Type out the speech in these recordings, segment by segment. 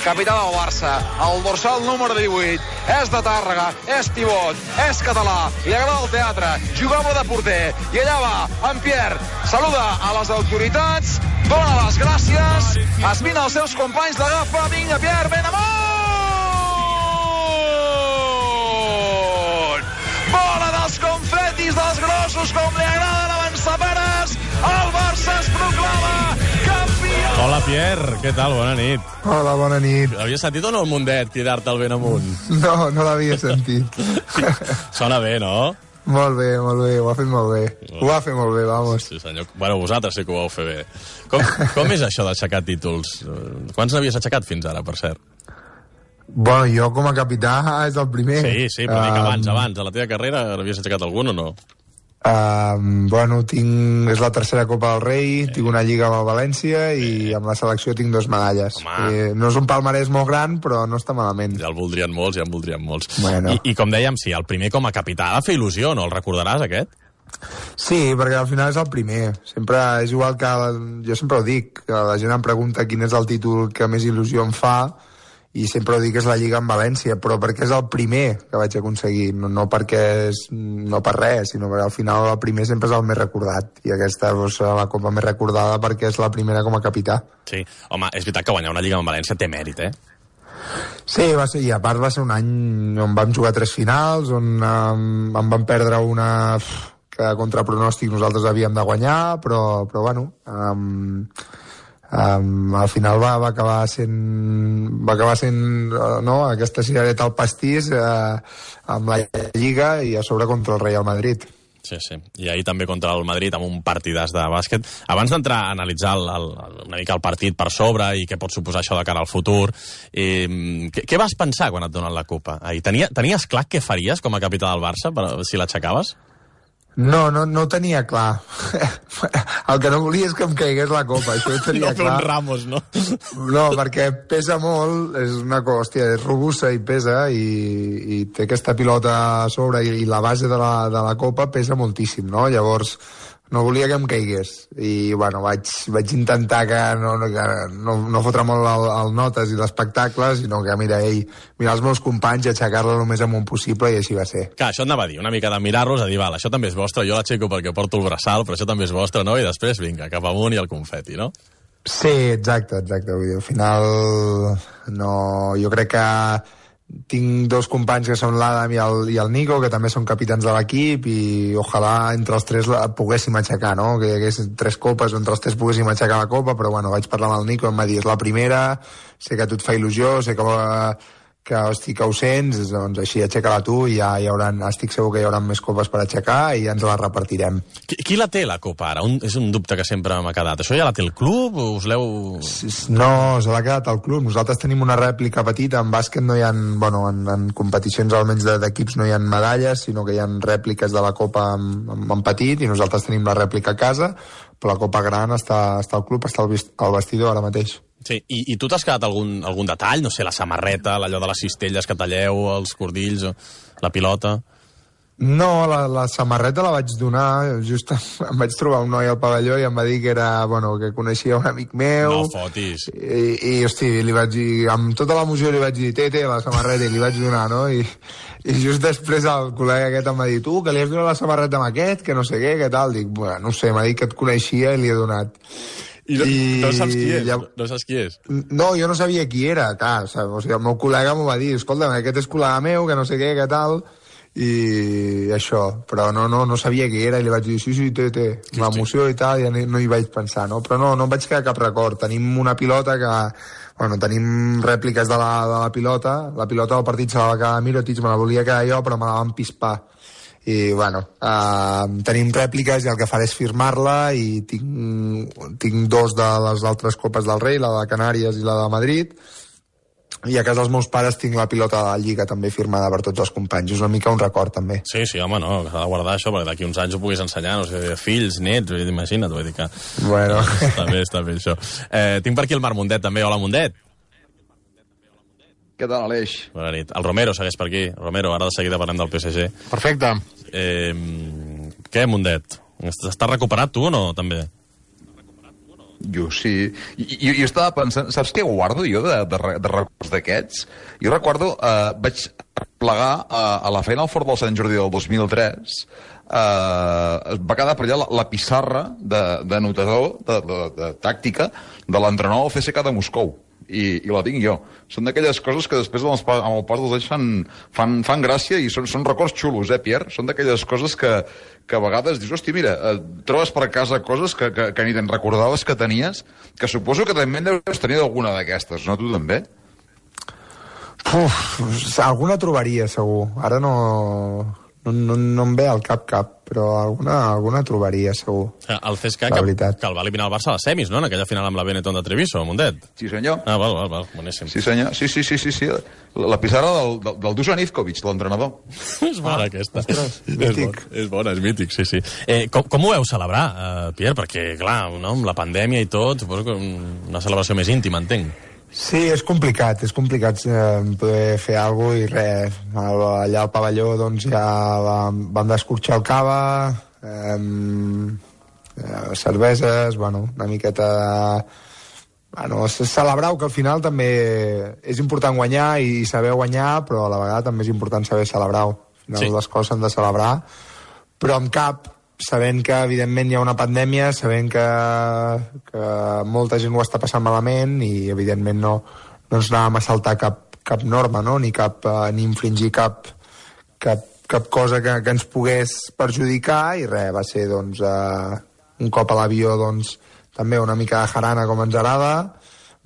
capità del Barça, el dorsal número 18, és de Tàrrega, és pivot, és català, li agrada el teatre, jugava de porter, i allà va, en Pierre, saluda a les autoritats, dona les gràcies, es mira els seus companys, l'agafa, vinga Pierre, ben amunt! Bola dels confetis dels grossos, com li agrada l'avançaperes, el Barça es proclama campió! Hola, Pierre, què tal? Bona nit. Hola, bona nit. Havies sentit o no el Mundet cridar-te el ben amunt? No, no l'havia sentit. Sona bé, no? Molt bé, ho ha fet molt bé. Ho va fer molt bé, vamos. Sí, senyor. Bueno, vosaltres sí que ho vau fer bé. Com és això d'aixecar títols? Quants n'havies aixecat fins ara, per cert? Bueno, jo com a capità és el primer. Sí, però dic abans, a la teva carrera n'havies aixecat algun o no? Bueno, és la tercera Copa del Rei, tinc una lliga amb el València i amb la selecció tinc 2 medalles. No és un palmarès molt gran, però no està malament. Ja en voldrien molts. Bueno. I com dèiem, sí, el primer com a capità ha de fer il·lusió, no? El recordaràs, aquest? Sí, perquè al final és el primer. Sempre és igual que... Jo sempre ho dic, que la gent em pregunta quin és el títol que més il·lusió em fa, i sempre ho dic que és la Lliga en València, però perquè és el primer que vaig aconseguir, no per res, sinó perquè al final el primer sempre és el més recordat, i aquesta és la Copa més recordada perquè és la primera com a capità. Sí, home, és veritat que guanyar una Lliga en València té mèrit, eh? Sí, va ser, i a part va ser un any on vam jugar 3 finals, on en vam perdre una que contra pronòstic nosaltres havíem de guanyar, però bueno... al final va acabar sent no, aquesta cirereta al pastís amb la Lliga i a sobre contra el Real Madrid. Sí, i ahir també contra el Madrid amb un partidàs de bàsquet. Abans d'entrar a analitzar una mica el partit per sobre i què pot suposar això de cara al futur, què vas pensar quan et donen la Copa? Tenies clar què faries com a capità del Barça si l'aixecaves? No ho tenia clar. El que no volia és que em caigués la Copa, això ho tenia clar. No fer un Ramos, no? No, perquè pesa molt, és una cosa, és robusta i pesa, i té aquesta pilota a sobre, i la base de la Copa pesa moltíssim, no? Llavors, no volia que em caigués, i bueno, vaig intentar que no fotre molt el notes i l'espectacle, sinó que mirar els meus companys i aixecar-la el més amunt possible, i així va ser. Clar, això et anava a dir, una mica de mirar-los, a dir, val, això també és vostre, jo l'aixeco perquè porto el braçal, però això també és vostre, no? I després, vinga, cap amunt i el confeti, no? Sí, exacte, vull dir, al final jo crec que tinc 2 companys que són l'Adam i el Nico, que també són capitans de l'equip, i ojalà entre els 3 poguéssim aixecar, no? Que hi hagués 3 copes, entre els 3 poguéssim aixecar la Copa, però bueno, vaig parlar amb el Nico, em va dir, és la primera, sé que a tu et fa il·lusió, sé que ho sents, doncs així aixeca-la tu, i ja estic segur que hi haurà més copes per aixecar i ja ens la repartirem. Qui la té, la Copa, ara? És un dubte que sempre m'ha quedat. Això ja la té el club o us l'heu... No, se l'ha quedat el club. Nosaltres tenim una rèplica petita. En bàsquet no hi ha... Bueno, en competicions almenys d'equips no hi ha medalles, sinó que hi ha rèpliques de la Copa en petit, i nosaltres tenim la rèplica a casa, però la Copa gran està al club, està al vestidor ara mateix. Sí, i tu t'has quedat algun detall? No sé, la samarreta, allò de les cistelles que talleu, els cordills, la pilota... No, la samarreta la vaig donar, just em vaig trobar un noi al pavelló i em va dir que era, que coneixia un amic meu. No fotis. I hosti, li vaig dir, amb tota l'emoció li vaig dir, té, la samarreta, i li vaig donar, no? I just després el col·lega aquest em va dir, tu, que li has donat la samarreta amb aquest, que no sé què tal? Dic, no sé, m'ha dit que et coneixia i li he donat. I no saps qui és? No saps qui és? No, jo no sabia qui era, clar, o sigui, el meu col·lega m'ho va dir, escolta, aquest és col·lega meu, que no sé què tal... i això, però no sabia qui era, i li vaig dir, sí, té l'emoció i tal, i no hi vaig pensar, no? Però no em vaig quedar cap record. Tenim una pilota que... tenim rèpliques de la pilota del partit se la va quedar Mirotic, me la volia quedar jo, però me la van pispar. I, tenim rèpliques i el que faré és firmar-la, i tinc 2 de les altres Copes del Rei, la de Canàries i la de Madrid, i a casa dels meus pares tinc la pilota de la Lliga també firmada per tots els companys. És una mica un record, també. Sí, home, no, s'ha de guardar això, perquè d'aquí uns anys ho puguis ensenyar, no sé, fills, nets, imagina't, vull dir que... Bueno... Està bé, això. Tinc per aquí el Marc Mundet, també. Hola, Mundet. Què tal, Aleix? Bona nit. El Romero segueix per aquí. Romero, ara de seguida parlem del PSG. Perfecte. Què, Mundet? Estàs recuperat, tu, o no, també? Jo sí. Jo estava pensant, saps què guardo jo de records d'aquests? Jo recordo, vaig plegar a la feina al Fort del Sant Jordi del 2003, va quedar per allà la pissarra d'anotador, de tàctica, de l'entrenador del CSKA de Moscou. I la tinc jo. Són d'aquelles coses que després amb el pas dels anys fan gràcia i són records xulos, Pierre? Són d'aquelles coses que a vegades dius, hòstia, mira, trobes per casa coses que ni te'n recordaves que tenies, que suposo que també deus tenir alguna d'aquestes, no? Tu també? Alguna trobaria, segur. Ara no em ve al cap, però alguna trobaria, segur. El CSKA que el va eliminar el Barça a les semis, no?, en aquella final amb la Benetton de Treviso, Mundet. Sí, senyor. Val, boníssim. Sí, senyor. Sí. La pissarra del Dusan Ivkovic, l'entrenador. És bona, aquesta. Ostres, mític. És bona, és mític, sí. Com ho veu celebrar, Pierre? Perquè, clar, no, amb la pandèmia i tot, suposo que una celebració més íntima, entenc. Sí, és complicat poder fer alguna cosa i res. Allà al pavelló doncs ja vam descorxar el cava, cerveses, una miqueta celebrar que al final també és important guanyar i saber guanyar, però a la vegada també és important saber celebrar. Al final les coses s'han de celebrar, però amb cap, sabent que evidentment hi ha una pandèmia, sabent que molta gent ho està passant malament i evidentment no ens anàvem a saltar cap norma, no? ni infringir cap cosa que ens pogués perjudicar, i res, va ser doncs, un cop a l'avió doncs, també una mica de jarana com ens agrada,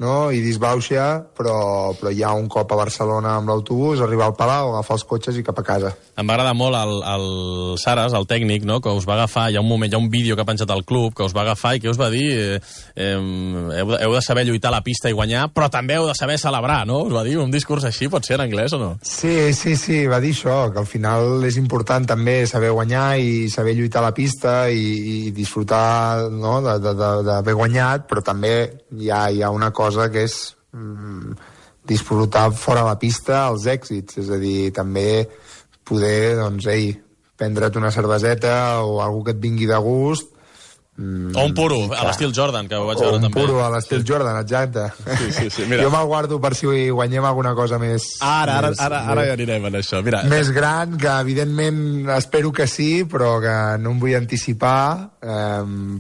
no? I disbauxa, però ja un cop a Barcelona amb l'autobús, arribar al Palau, agafar els cotxes i cap a casa. Em va agradar molt el Saras, el tècnic, no?, que us va agafar, hi ha un vídeo que ha penjat al club, que us va agafar i que us va dir heu de saber lluitar a la pista i guanyar, però també heu de saber celebrar, no? Us va dir un discurs així, pot ser en anglès o no? Sí, va dir això, que al final és important també saber guanyar i saber lluitar a la pista i disfrutar, no?, d'haver guanyat, però també hi ha una cosa que és disfrutar fora la pista els èxits, és a dir, també poder, doncs, prendre't una cerveseta o alguna que et vingui de gust. O un puro, a l'estil Jordan, que ho vaig veure també. O un puro a l'estil Jordan, exacte. Sí, mira. Jo me'l guardo per si guanyem alguna cosa més... Ara ja anirem en això, mira. Més gran, que evidentment espero que sí, però que no em vull anticipar,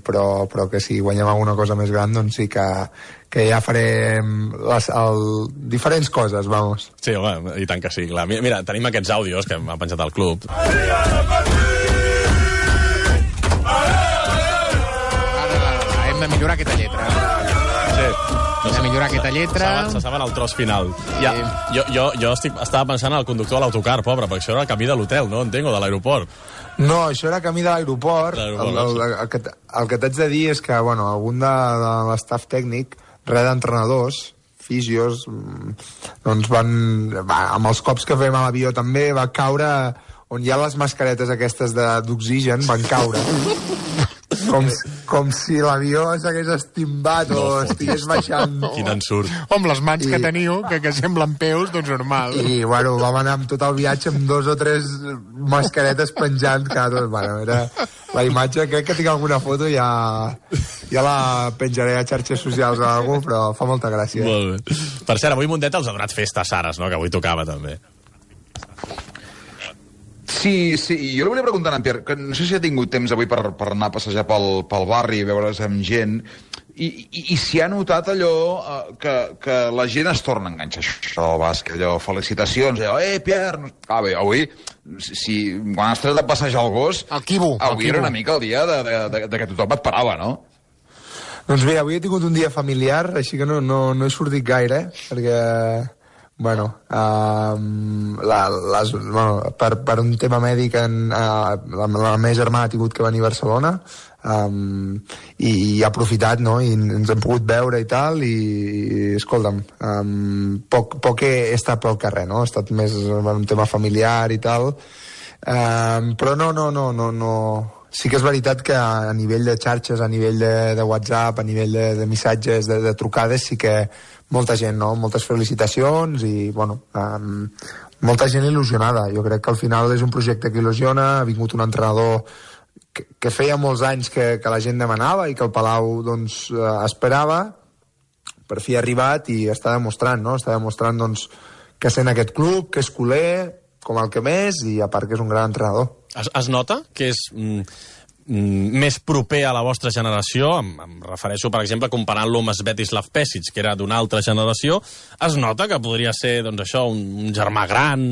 però que si guanyem alguna cosa més gran, doncs sí que ja farem diferents coses, vamos. Sí, home, i tant que sí, clar. Mira, tenim aquests àudios que m'ha penjat al club. Hem de millorar aquesta lletra. Sí. Hem de millorar aquesta lletra. Se saben el tros final. Ja, jo estava pensant en el conductor de l'autocar, pobre, perquè això era el camí de l'hotel, no? Entenc, o de l'aeroport. No, això era camí de l'aeroport. El que t'haig de dir és que, algun de l'estaf tècnic, res d'entrenadors, fisios, doncs amb els cops que fem a l'avió també, va caure on hi ha les mascaretes aquestes d'oxigen, van caure. Com si l'avió s'hagués estimbat o estigués baixant. Quin ensurt. Amb les mans que teniu, que semblen peus, doncs normal. I, vam anar amb tot el viatge amb 2 o 3 mascaretes penjant cada tot. Era la imatge, crec que tinc alguna foto, ja la penjaré a xarxes socials o alguna cosa, però fa molta gràcia. Molt bé. Per cert, avui Mundet els ha donat festa a Saras, no?, que avui tocava també. Sí, jo li volia preguntar a en Pierre, que no sé si ha tingut temps avui per anar a passejar pel barri i veure's amb gent, i si ha notat allò que la gent es torna a enganxar això del bàsquet, allò, felicitacions, allò, Pierre... Bé, avui, quan has tret de passejar el gos, avui era una mica el dia de que tothom et parava, no? Doncs bé, avui he tingut un dia familiar, així que no he sortit gaire, perquè... per un tema mèdic la meva germana ha tingut que venir a Barcelona i ha aprofitat, no? I ens hem pogut veure i tal, i escolta'm, poc he estat pel carrer, no? Ha estat més un tema familiar i tal, però no. Sí que és veritat que a nivell de xarxes, a nivell de WhatsApp, a nivell de missatges, de trucades, sí que molta gent, no? Moltes felicitacions i, molta gent il·lusionada. Jo crec que al final és un projecte que il·lusiona, ha vingut un entrenador que feia molts anys que la gent demanava i que el Palau doncs, esperava, per fi ha arribat i està demostrant, no? Està demostrant doncs, que sent aquest club, que és culer, com el que més, i a part que és un gran entrenador. Es nota que és més proper a la vostra generació? Em refereixo, per exemple, comparant-lo amb Svetislav Pesic, que era d'una altra generació. Es nota que podria ser doncs, això, un germà gran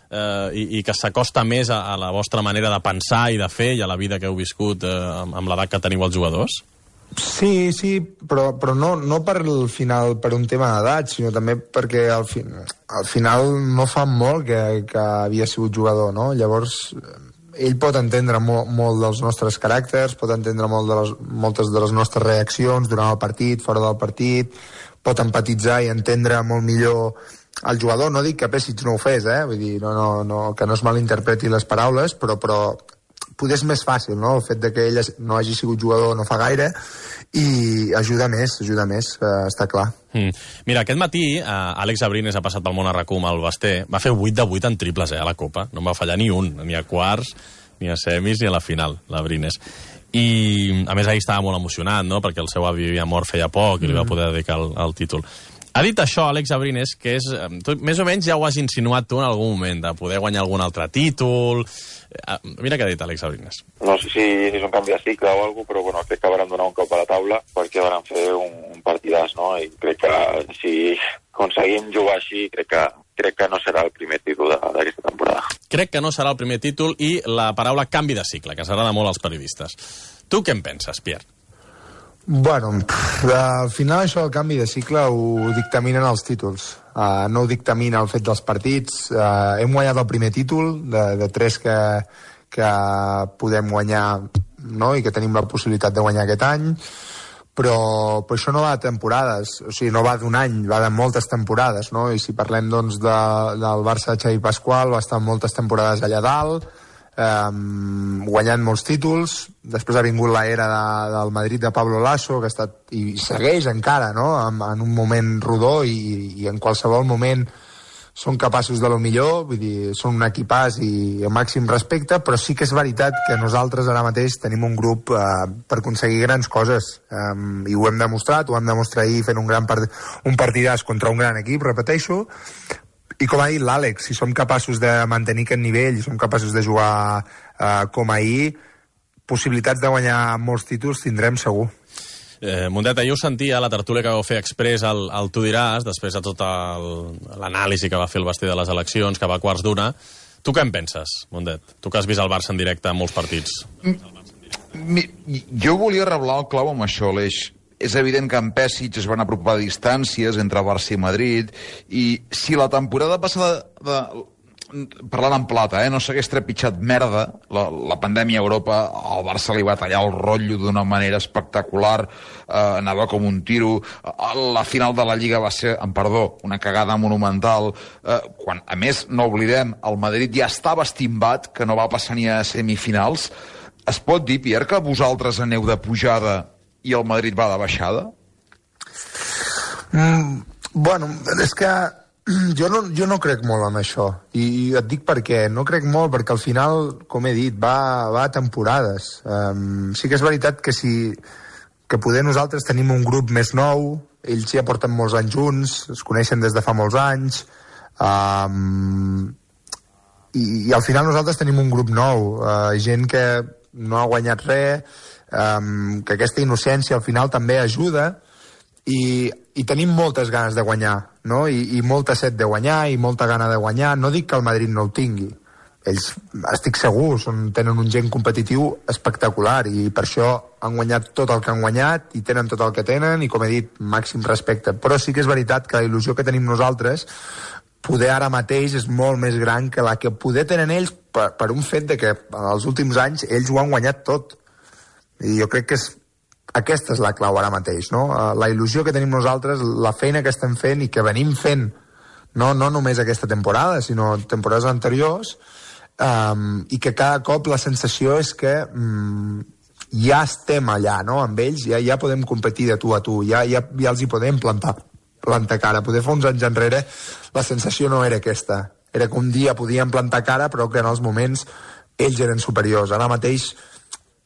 i que s'acosta més a la vostra manera de pensar i de fer i a la vida que heu viscut amb l'edat que teniu els jugadors? Sí, però no per el final, per un tema d'edat, sinó també perquè al final no fa molt que havia sigut jugador, no? Llavors, ell pot entendre molt dels nostres caràcters, pot entendre moltes de les nostres reaccions durant el partit, fora del partit, pot empatitzar i entendre molt millor el jugador. No dic que Pesic no ho fes, vull dir, que no es malinterpreti les paraules, però poder és més fàcil, no? El fet de que ell no hagi sigut jugador no fa gaire i ajuda més, està clar. Mira, aquest matí Àlex Abrines ha passat pel món a RAC1 amb el Basté, va fer 8 de 8 en triples a la Copa, no en va fallar ni un, ni a quarts, ni a semis, ni a la final, l'Abrines. I a més ahir estava molt emocionat, no?, perquè el seu avi havia mort feia poc i li va poder dedicar el títol. Ha dit això, Àlex Abrines, que és... més o menys ja ho has insinuat tu en algun moment, de poder guanyar algun altre títol. Mira què ha dit Àlex Abrines. No sé si és un canvi de cicle o alguna cosa, però bueno, crec que vàrem donar un cop a la taula perquè vàrem fer un partidàs, no? I crec que si aconseguim jugar així, crec que no serà el primer títol d'aquesta temporada. Crec que no serà el primer títol i la paraula canvi de cicle, que ens agrada molt als periodistes. Tu què en penses, Pierre? Bueno, al final això del canvi de cicle ho dictaminen els títols, no ho dictamina el fet dels partits. Hem guanyat el primer títol de 3 que podem guanyar, no?, i que tenim la possibilitat de guanyar aquest any, però això no va de temporades, o sigui, no va d'un any, va de moltes temporades, no? I si parlem doncs del Barça de Xavi Pasqual, va estar moltes temporades allà dalt, guanyant molts títols. Després ha vingut l'era del Madrid de Pablo Lasso, que ha estat i segueix encara, no?, en un moment rodó i en qualsevol moment són capaços de lo millor, vull dir, són un equipàs i el màxim respecte, però sí que és veritat que nosaltres ara mateix tenim un grup per aconseguir grans coses, i ho hem demostrat, ho vam demostrar ahir fent un partidàs contra un gran equip, repeteixo. I com ha dit l'Àlex, si som capaços de mantenir aquest nivell, si som capaços de jugar com ahir, possibilitats de guanyar molts títols tindrem segur. Mundet, ahir ho sentia a la tertúlia que vau fer exprés al Tu diràs, després de tota l'anàlisi que va fer el Basté de les eleccions, que va a quarts d'una. Tu què en penses, Mundet? Tu que has vist el Barça en directe en molts partits. Jo volia reblar el clau amb això, Aleix. És evident que en Pesic es van apropar distàncies entre Barça i Madrid, i si la temporada passada, parlant en plata, no s'hagués trepitjat merda, la pandèmia a Europa, al Barça li va tallar el rotllo d'una manera espectacular, anava com un tiro, la final de la Lliga va ser, amb perdó, una cagada monumental, quan, a més, no oblidem, el Madrid ja estava estimbat, que no va passar ni a semifinals. Es pot dir, Pierre, que vosaltres aneu de pujada i el Madrid va de baixada? Bueno, és que jo no crec molt en això, i et dic per què. No crec molt perquè al final, com he dit, va a temporades. Sí que és veritat que poder nosaltres tenim un grup més nou, ells ja porten molts anys junts, es coneixen des de fa molts anys, i al final nosaltres tenim un grup nou, gent que no ha guanyat res, que aquesta innocència al final també ajuda, i tenim moltes ganes de guanyar, no? I molta set de guanyar i molta gana de guanyar. No dic que el Madrid no ho tingui, ells, estic segur, tenen un gen competitiu espectacular i per això han guanyat tot el que han guanyat i tenen tot el que tenen, i com he dit, màxim respecte. Però sí que és veritat que la il·lusió que tenim nosaltres poder ara mateix és molt més gran que la que poder tenen ells per un fet de que els últims anys ells ho han guanyat tot. I jo crec que aquesta és la clau ara mateix, no? La il·lusió que tenim nosaltres, la feina que estem fent i que venim fent, no només aquesta temporada, sinó temporades anteriors, i que cada cop la sensació és que ja estem allà, no?, amb ells, ja podem competir de tu a tu, ja els hi podem plantar cara. Poder fa uns anys enrere la sensació no era aquesta, era que un dia podíem plantar cara però que en els moments ells eren superiors. Ara mateix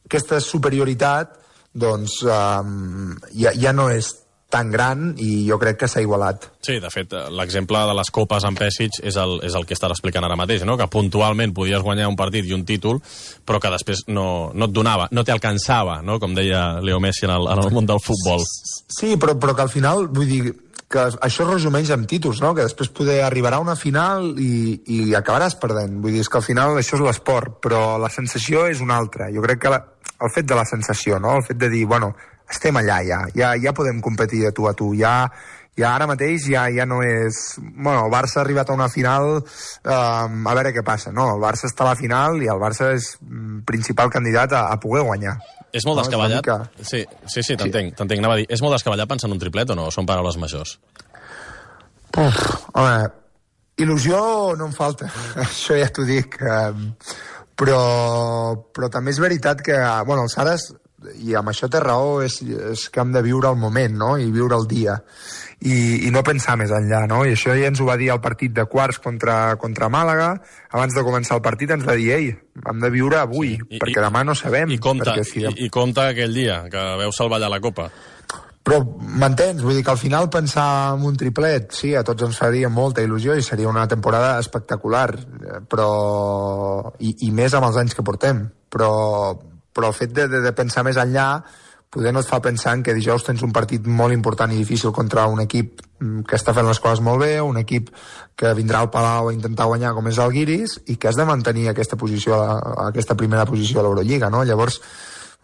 aquesta superioritat doncs ja no és tan gran i jo crec que s'ha igualat. Sí, de fet, l'exemple de les copes en Pesic és el que estàs explicant ara mateix, no? Que puntualment podies guanyar un partit i un títol, però que després no et donava, no t'alcançava, no? Com deia Leo Messi en el món del futbol. Sí, però que al final, vull dir, que això es resumeix amb títols, no? Que després poder arribarà a una final i acabaràs perdent. Vull dir, és que al final això és l'esport, però la sensació és una altra. Jo crec que el fet de la sensació, no? El fet de dir, bueno, estem allà ja podem competir de tu a tu, ja ara mateix ja no és... Bueno, el Barça ha arribat a una final, a veure què passa, no? El Barça està a la final i el Barça és principal candidat a poder guanyar. És molt descabellat? Sí, t'entenc, anava a dir. És molt descabellat pensar en un triplet o no? Són paraules majors? Home, il·lusió no em falta, això ja t'ho dic. Però també és veritat que, bueno, el Saras, i amb això té raó, és que hem de viure el moment, no? I viure el dia. I no pensar més enllà, no? I això ja ens ho va dir al partit de quarts contra Màlaga. Abans de començar el partit ens va dir, ei, hem de viure avui, perquè demà no sabem. I compta aquell dia, que veu salvar allà la Copa. Però m'entens? Vull dir que al final pensar en un triplet, sí, a tots ens faria molta il·lusió i seria una temporada espectacular, però i més amb els anys que portem. Però el fet de pensar més enllà poder no et fa pensar en que dijous tens un partit molt important i difícil contra un equip que està fent les coses molt bé, un equip que vindrà al Palau a intentar guanyar com és el Guiris i que has de mantenir aquesta primera posició a l'Eurolliga, no? Llavors,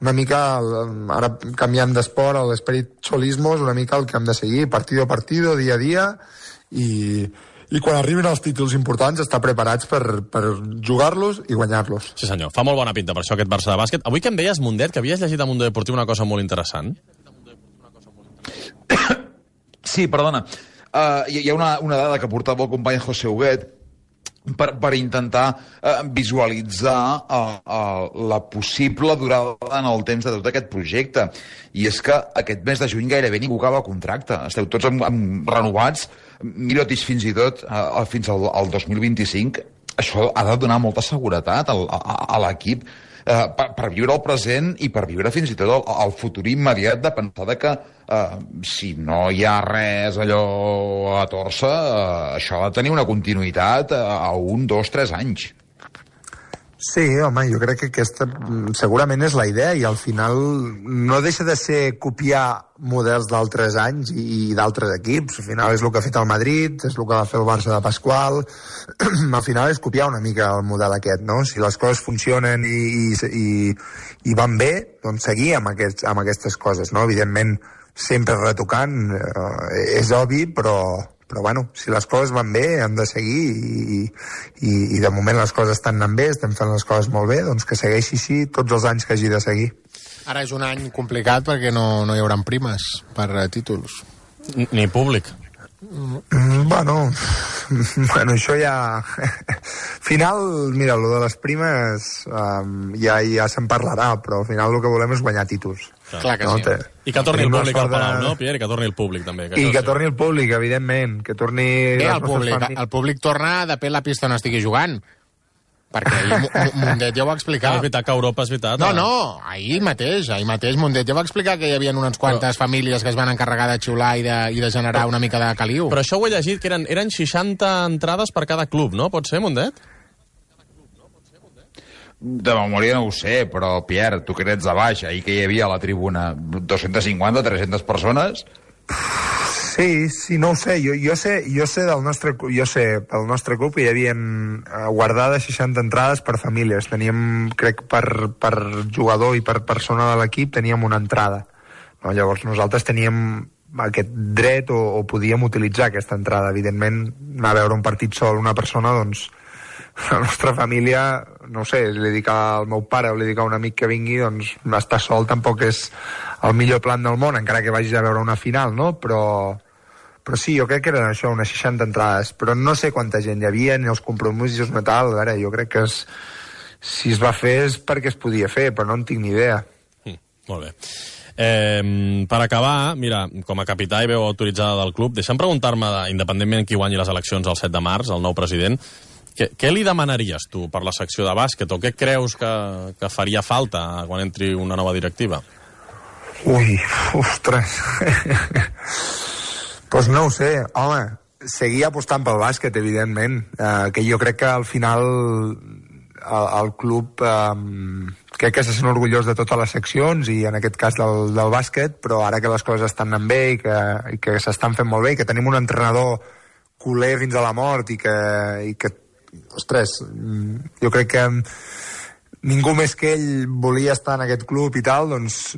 una mica, ara canviant d'esport, l'esperit xolismo és una mica el que hem de seguir, partido a partido, dia a dia, i quan arribin els títols importants estar preparats per jugar-los i guanyar-los. Sí senyor, fa molt bona pinta per això aquest Barça de bàsquet. Avui que em deies, Mundet, que havies llegit a Mundo Deportiu una cosa molt interessant. Sí, perdona. Hi ha una dada que portava el company José Huguet per intentar visualitzar la possible durada en el temps de tot aquest projecte. I és que aquest mes de juny gairebé ningú acaba contracte. Esteu tots renovats, Mirotic fins i tot fins al 2025. Això ha de donar molta seguretat a l'equip per viure el present i per viure fins i tot el futur immediat, de pensar que si no hi ha res allò a torça, això ha de tenir una continuïtat a 1, 2, 3 anys. Sí, home, jo crec que aquesta segurament és la idea i al final no deixa de ser copiar models d'altres anys i d'altres equips. Al final és el que ha fet el Madrid, és el que va fer el Barça de Pasqual. Al final és copiar una mica el model aquest, no? Si les coses funcionen i van bé, doncs seguir amb aquestes coses, no? Evidentment, sempre retocant, és obvi, però bueno, si les coses van bé, hem de seguir i de moment les coses estan anant bé, estem fent les coses molt bé, doncs que segueixi així tots els anys que hagi de seguir. Ara és un any complicat perquè no hi haurà primes per títols. Ni públic. Bueno, això ja... Al final, mira, lo de les primes ja se'n parlarà, però al final el que volem és guanyar títols. Clar que sí. I que torni el públic al Palau, no, Pierre? I que torni el públic, també. Que torni el públic, evidentment. Que torni... El públic torna depèn la pista on estigui jugant. Perquè Mundet ja ho va explicar. És veritat que Europa és veritat. No, ahir mateix Mundet ja va explicar que hi havia unes quantes famílies que es van encarregar de xiular i de generar una mica de caliu. Però això ho he llegit, que eren 60 entrades per cada club, no? Pot ser, Mundet? De memòria no ho sé, però, Pierre, tu que ets de baix, ahir que hi havia a la tribuna 250, 300 persones... Sí, no ho sé. Jo sé pel nostre club que hi havia guardades 60 entrades per famílies. Teníem, crec, per jugador i per persona de l'equip teníem una entrada. No? Llavors nosaltres teníem aquest dret o podíem utilitzar aquesta entrada. Evidentment, anar a veure un partit sol una persona, doncs la nostra família, no sé, li dic al meu pare o li dic a un amic que vingui, doncs estar sol tampoc és el millor plan del món, encara que vagis a veure una final, no? Però sí, jo crec que eren això, unes 60 entrades, però no sé quanta gent hi havia, ni els compromisos ni tal. A veure, jo crec que si es va fer és perquè es podia fer, però no en tinc ni idea. Molt bé. Per acabar, mira, com a capità i veu autoritzada del club, deixa'm preguntar-me, independentment qui guanyi les eleccions el 7 de març, el nou president, Què li demanaries tu per la secció de bàsquet, o què creus que faria falta quan entri una nova directiva? Ui, ostres. Pues no ho sé, home, seguir apostant pel bàsquet, evidentment, que jo crec que al final el club crec que se sent orgullós de totes les seccions i en aquest cas del bàsquet, però ara que les coses estan anant bé i que s'estan fent molt bé i que tenim un entrenador culer fins a la mort i que ostres, jo crec que ningú més que ell volia estar en aquest club i tal, doncs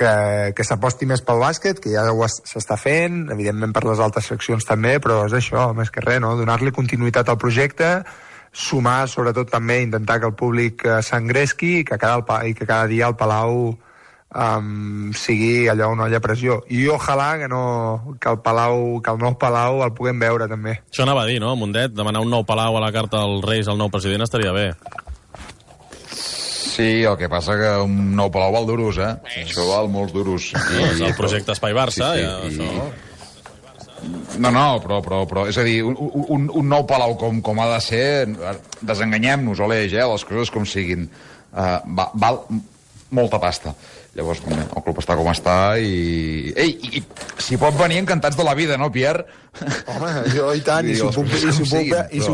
que s'aposti més pel bàsquet, que ja s'està fent, evidentment per les altres seccions també, però és això, més que res, no? Donar-li continuïtat al projecte, sumar, sobretot també, intentar que el públic s'engresqui i que cada dia el Palau sigui allò una olla a pressió. I ojalà que el nou Palau el puguem veure també. Això anava a dir, no, Mundet? Demanar un nou Palau a la carta dels Reis al nou president estaria bé. Sí, el que passa que un nou Palau val duros, eh? Això val molts duros. És el projecte Espai Barça, sí, ja, això... No, però és a dir, un nou Palau com ha de ser, desenganyem-nos, Aleix, les coses com siguin. Val molta pasta. Llavors, el club està com està i si pot venir encantats de la vida, no, Pierre? Home, jo i tant, i si ho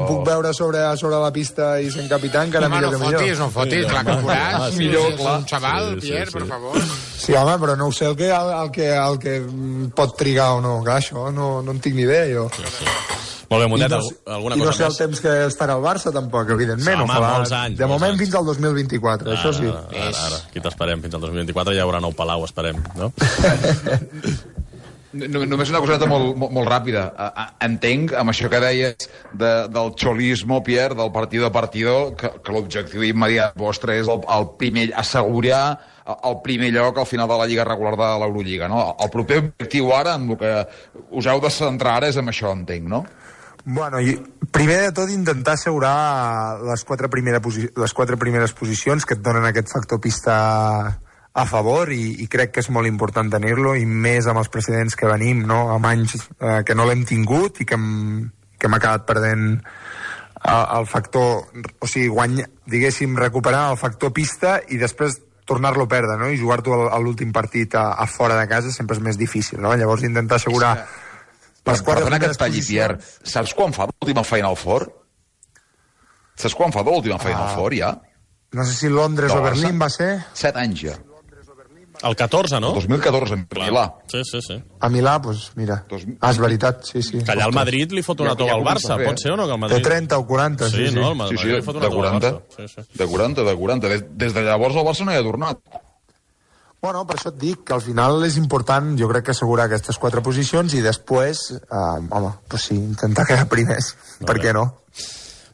puc veure sobre la pista i sent capità, encara millor que millor. No fotis, clar que podràs. Millor, clar. Un xaval, Pierre, per favor. Sí, home, però no ho sé el que pot trigar o no. Clar, això no en tinc ni idea, jo. Molt bé, Mundet, alguna cosa més? I no sé el temps que estarà al Barça, tampoc, evidentment. Home, molts anys. De moment fins al 2024, això sí. Ara, aquí t'esperem, fins al 2024 ja hi haurà nou Palau, esperem, no? Només una coseta molt ràpida. Entenc, amb això que deies del xolismo, Pierre, del partido a partido, que l'objectiu immediat vostre és el primer, assegurar el primer lloc al final de la lliga regular de l'Eurolliga, no? El proper objectiu ara, amb el que us heu de centrar ara, és amb això, entenc, no? Bueno, primer de tot intentar assegurar les quatre primeres posicions que et donen aquest factor pista a favor i crec que és molt important tenir-lo i més amb els precedents que venim, no? Amb anys que no l'hem tingut i que hem acabat perdent el factor, o sigui, diguéssim, recuperar el factor pista i després tornar-lo a perdre, no? I jugar-t'ho a l'últim partit a fora de casa sempre és més difícil, no? Llavors intentar assegurar Perdona que et talli, Pierre. Saps quan fa l'última Final Four? Saps quan fa l'última Final Four, ja? No sé si Londres o Berlín va ser... 7 anys, ja. El 14, no? El 2014, en Milà. Sí. A Milà, doncs, mira. És veritat, sí. Que allà el Madrid li fot una tova al Barça, pot ser o no? Que el Madrid... De 30 o 40, sí. No, el Madrid li fot una tova al Barça. De 40. Des de llavors el Barça no hi ha tornat. Bueno, per això et dic que al final és important, jo crec que assegurar aquestes 4 posicions i després, pues sí, intentar quedar primers, per què no?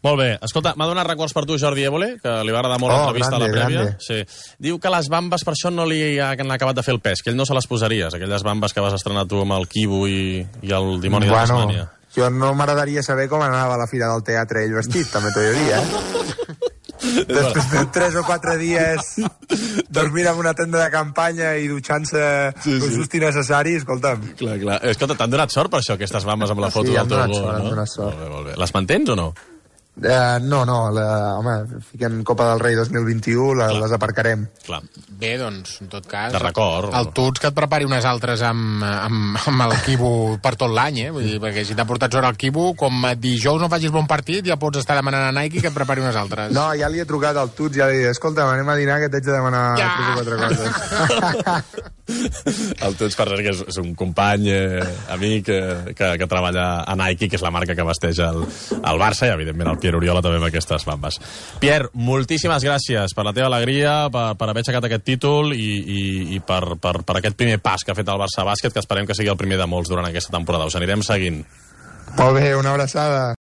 Molt bé, escolta, m'ha donat records per tu Jordi Évole, que li va agradar molt l'entrevista a la prèvia. Sí. Diu que les bambes per això no li han acabat de fer el pes, que ell no se les posaries, aquelles bambes que vas estrenar tu amb el Kibu i el dimoni de Tasmània. Jo no m'agradaria saber com anava a la fira del teatre ell vestit, també t'ho he de dir, Després de 3 o 4 dies dormint en una tenda de campanya i dutxant-se tot just innecessari, escolta'm. Clar. Escolta, t'han donat sort per això, aquestes bambes amb la foto del teu gol, no? Han donat sort. Molt bé. Les mantens o no? No, home, fiquem Copa del Rei 2021, les aparcarem. Clar. Bé, doncs, en tot cas... De record. El Tuts que et prepari unes altres amb el Kibu per tot l'any, Vull dir, perquè si t'ha portat sort el Kibu, com dijous no facis bon partit, ja pots estar demanant a Nike que et prepari unes altres. No, ja li he trucat al Tuts, ja li he dit, escolta, anem a dinar que t'haig de demanar 3 o 4 coses. El Tuts, per cert, que és un company, amic, que treballa a Nike, que és la marca que vesteix el Barça, i evidentment el Pierre Oriola també amb aquestes bambes. Pierre, moltíssimes gràcies per la teva alegria, per haver aixecat aquest títol i per aquest primer pas que ha fet el Barça Bàsquet, que esperem que sigui el primer de molts durant aquesta temporada. Us anirem seguint. Molt bé, una abraçada.